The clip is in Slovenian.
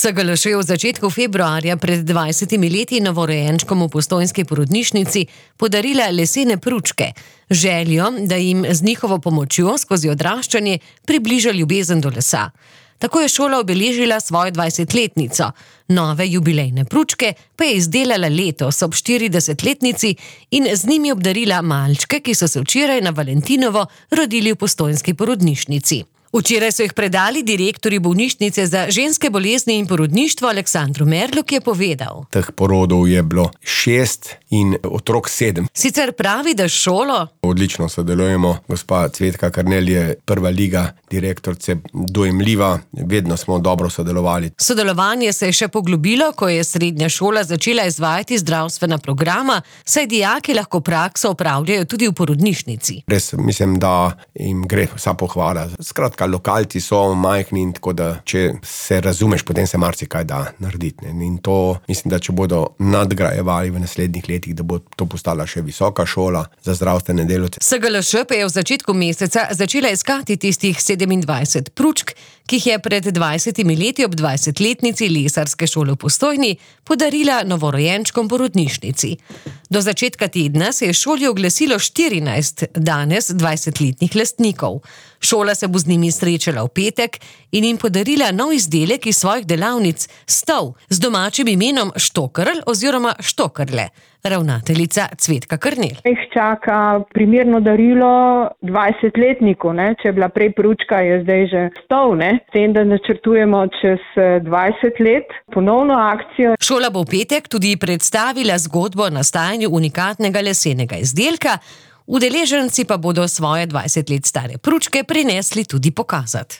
SGLŠ je v začetku februarja pred 20 leti novorojenčkom v postojnski porodnišnici podarila lesene pručke, željo, da jim z njihovo pomočjo skozi odraščanje približa ljubezen do lesa. Tako je šola obeležila svojo 20-letnico. Nove jubilejne pručke pa je izdelala letos ob 40-letnici in z njimi obdarila malčke, ki so se včeraj na Valentinovo rodili v postojnski porodnišnici. Včeraj so jih predali direktorju bolnišnice za ženske bolezni in porodništvo Aleksandru Merlu, ki je povedal: Teh porodov je bilo 6 in otrok 7. Sicer pravi, da šolo odlično sodelujemo. Gospa Cvetka Karnel je prva liga direktorice, dojemljiva, vedno smo dobro sodelovali. Sodelovanje se je še poglobilo, ko je srednja šola začela izvajati zdravstvena programa, saj dijaki lahko prakso opravljajo tudi v porodnišnici. Res mislim, da jim gre vsa pohvala. Skratka, lokalci so majhni in tako da, če se razumeš, potem se marsikaj da narediti. In to mislim, da če bodo nadgrajevali v naslednjih letih, da bo to postala še visoka šola za zdravstvene delavce. SGLŠ pa je v začetku meseca začela iskati tistih 27 pručk, ki jih je pred 20 leti ob 20-letnici lesarske šole v Postojni podarila novorojenčkom porodnišnici. Do začetka tedna se je šoli oglasilo 14 danes 20-letnih lastnikov. Šola se bo z njimi srečala v petek in jim podarila nov izdelek iz svojih delavnic, stol z domačim imenom Štokrl oziroma Štokrle. Ravnateljica Cvetka Karnel. Jih čaka primerno darilo 20-letniku, če je bila prej pručka, je zdaj že stol, S tem, da načrtujemo čez 20 let ponovno akcijo. Šola bo v petek tudi predstavila zgodbo o nastajanju unikatnega lesenega izdelka, udeleženci pa bodo svoje 20 let stare pručke prinesli tudi pokazati.